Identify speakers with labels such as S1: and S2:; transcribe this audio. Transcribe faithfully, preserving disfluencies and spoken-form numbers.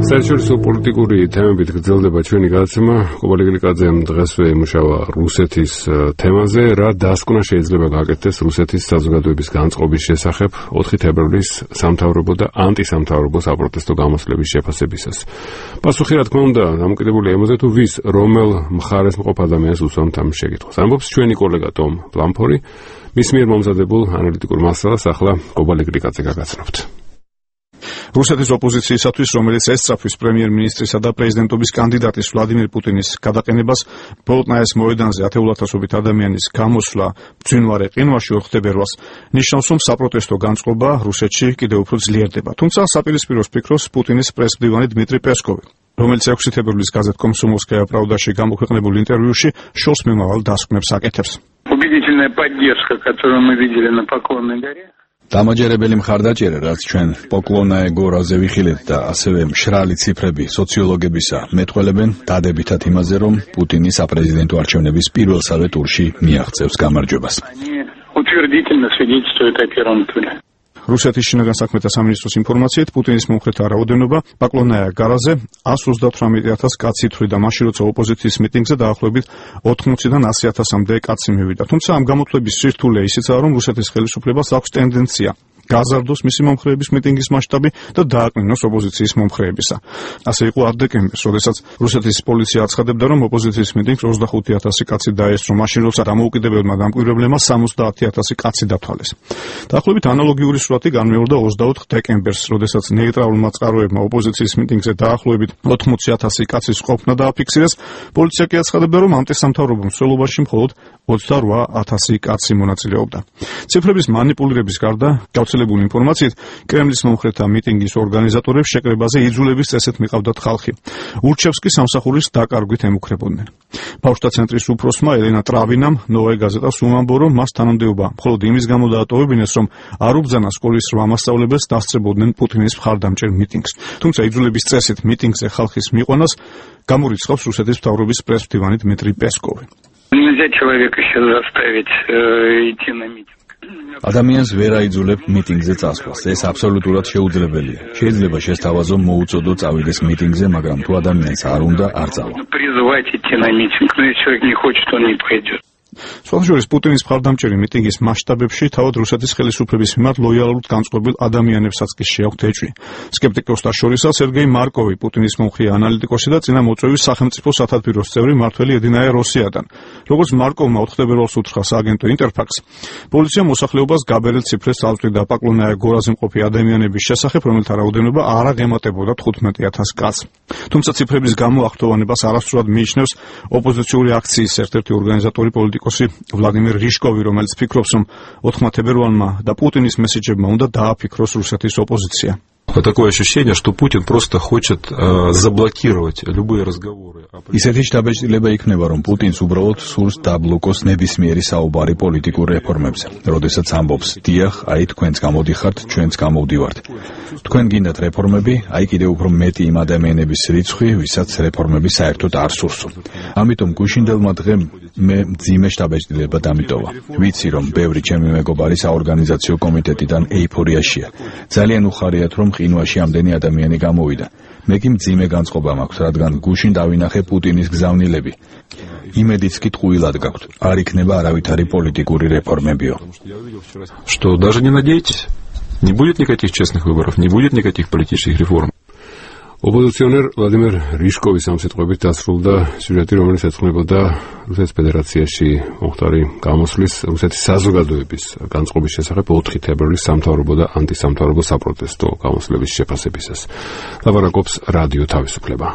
S1: საერთაშორისო პოლიტიკური თემებით გრძელდება ჩვენი გადაცემა. კობალე გლიკაძემ დღესვე იმუშავა რუსეთის თემაზე, რა დასკვნა შეიძლება გაკეთდეს რუსეთის საზოგადოების განწყობის შესახებ ოთხი თებერვლის სამთავრობო და ანტისამთავრობო საპროტესტო გამოსვლების შეფასებისას. პასუხი, რა თქმა უნდა, დამოკიდებულია იმაზე, თუ ვის რომელ მხარეს მყოფ ადამიანს უსვამთ ამ შეკითხვას. ამბობს ჩვენი კოლეგა ტომ პლამფორი, მის მიერ მომზადებულ ანალიტიკურ მასალას ახლა კობალე გლიკაძე გაგაცნობთ.
S2: რუსეთის ოპოზიციისათვის, რომელიც ესწრაფვის პრემიერ-მინისტრისა და პრეზიდენტობის კანდიდატის ვლადიმირ პუტინის გადაყენებას, ბოლოტნაის მოედანზე ათეულათასობით ადამიანის გამოსვლა ბრძინვარე ყინვაში ოთხ თებერვალს ნიშნავს, რომ საპროტესტო განწყობა რუსეთში კიდევ უფრო ძლიერდება. თუმცა საპირისპიროს ფიქრობს პუტინის პრესმდივანი დმიტრი პესკოვი, რომელიც ექვსი თებერვლის გაზეთ კომსომოლსკაია პრავდაში გამოქვეყნებულ ინტერვიუში შორს მიმავალ დასკვნებს აკეთებს.
S3: Убедительная поддержка, которую мы видели на Поклонной горе.
S4: დამაჯერებელი მხარდაჭერა, რაც ჩვენ პოკლონაე გორაზე ვიხილეთ და ასევე მშრალი ციფრები სოციოლოგებისა მეტყველებენ დადებითად იმაზე, რომ პუტინი საპრეზიდენტო არჩევნების პირველსავე ტურში მიაღწევს გამარჯვებას.
S3: Утвердительно свидетельствует о первом туре.
S2: რუსეთის შინაგან საქმეთა სამინისტროს ინფორმაციით, პუტინის მომხრეთა რაოდენობა პაკლონაია გარაზე ას ოცდაოთხმეტ ათას კაცი ითვლიდა, მაშინ როცა ოპოზიციის მიტინგზე დაახლოებით ოთხმოცდან ასი ათასამდე კაცი მივიდა. თუმცა ამ გამოცვლების სირთულე ისიცაა, რომ რუსეთის ხელისუფლებას აქვს ტენდენცია გაზარდოს მისი მომხრეების მიტინგის მასშტაბი და დააკნინოს ოპოზიციის მომხრეებისა. ასე იყო ათ დეკემბერს, როდესაც რუსეთის პოლიცია აცხადებდა, რომ ოპოზიციის მიტინგს ოცდახუთი ათასი კაცი დაესწრო, მაშინ როცა დამოუკიდებელმა დამკვირვებლებმა სამოცდაათი ათასი კაცი დათვალეს. დაახლოებით ანალოგიური სურათი განმეორდა ოცდაოთხ დეკემბერს, როდესაც ნეიტრალურმა წყაროებმა ოპოზიციის მიტინგზე დაახლოებით ოთხმოცი ათასი კაცის ყოფნა დააფიქსირეს. პოლიცია კი აცხადებდა, რომ ანტისამთავრობო მსვლელობაში მხოლოდ ოცდარვა ათასი კაცი მონაწილეობდა. ციფრების მანიპულირების გარდა, გავრცელებული ინფორმაციით, კრემლის მომხრეთა მიტინგის ორგანიზატორებს შეკრებაზე იძულების წესით მიყავდათ ხალხი. ურჩევსკი სამსახურის დაკარგვით ემუქრებოდნენ. ბავშვთა ცენტრის უფროსმა ელენა ტრավინამ ნოვაი გაზეტას უმამბო, რომ მას თანამდებობა მხოლოდ იმის გამო დაატოვებინეს, რომ არ უბრძანა სკოლის რვა მასწავლებელს დასწრებოდნენ პუტინის მხარდამჭერ მიტინგს. თუმცა იძულების წესით მიტინგზე ხალხის მიყვანას გამორიცხავს რუსეთის მთავრობის პრესმდივანი დმიტრი პესკოვი.
S3: Нельзя человека сейчас заставить идти на митинг.
S4: ადამიანს ვერ აიძულებ მიტინგზე წასვლას. ეს აბსოლუტურად შეუძლებელია. შეიძლება შესთავაზო მოუწოდო წავიდეს მიტინგზე, მაგრამ თუ ადამიანს არ უნდა, არ წავა.
S3: Призывать идти на митинг, но если человек не хочет, он не пойдет.
S2: სხვადასხვა პუტინის მხარდამჭერი მიტინგის მასშტაბებში თავად რუსეთის ხელისუფლების მიმართ ლოიალურად განწყობილ ადამიანებსაც კი შეაქვთ ეჭვი. სკეპტიკოსთა შორისაა სერგეი მარკოვი, პუტინის მომხრე ანალიტიკოსი და წინა მოწვევის სახელმწიფო სათათბიროს წევრი მართველი ედინაია როსიადან. როგორც მარკოვმა ოთხ თებერვალს უთხრა სააგენტო ინტერფაქს, პოლიცია მოსახლეობას გაბერილ ციფრებს წავწვდიდა პაკლონაია გორაზე მყოფი ადამიანების შესახებ, რომელთა რაოდენობა არ აღემატებოდა თხუთმეტ ათას კაცს. თუმცა ციფრების გამოახტოვანებას არასწორად მიიჩნევს ოპოზიციური აქციის ერთ-ერთი ორგანიზატორი პოლიტიკოსი ვლადიმირ რიშკოვი, რომელიც ფიქრობს, რომ ოთხმა თებერვალმა და პუტინის მესეჯებმა უნდა დააფიქროს რუსეთის ოპოზიცია.
S5: Такое ощущение, что Путин просто хочет э, заблокировать любые разговоры.
S4: ისეთი შთაბეჭდილება იქნება, რომ პუტინს უბრალოდ სურს დაბლოკოს ნებისმიერი საუბარი პოლიტიკურ რეფორმებზე. როდესაც ამბობს, დიახ, აი თქვენც გამოდიხართ, ჩვენც გამოვდივართ. თქვენ გინდათ რეფორმები, აი კიდევ უფრო მეტი იმ ადამიანების რიცხვი, ვისაც რეფორმები საერთოდ არ სურსო. ამიტომ გუშინდელმა დღემ მე მძიმე შთაბეჭდილება დამიტოვა. ვიცი, რომ ბევრი ჩემი მეგობარი საორგანიზაციო კომიტეტიდან ეიფორიაშია. ძალიან უხარიათ, რომ ყინვაში ამდენი ადამიანი გამოვიდა. მე კი მძიმე განწყობა მაქვს, რადგან გუშინ დავინახე პუტინის გზავნილები. იმედიც კი ტყუილად გაქვთ. არ იქნება არავითარი პოლიტიკური რეფორმებიო.
S5: Что даже не надейтесь, не будет никаких честных выборов, не будет никаких политических реформ.
S1: ოპოზიციონერ ვლადიმერ რიშკოვის ამ სიტყვებით დასრულდა სიუჟეტი, რომელიც ეძღვნებოდა რუსეთის ფედერაციაში მომხდარი გამოსვლის რუსეთის საზოგადოების განწყობის შესახებ ოთხი თებერვლის სამთავრობო და ანტისამთავრობო საპროტესტო გამოსვლების შეფასებისას. ლაპარაკობს რადიო თავისუფლება.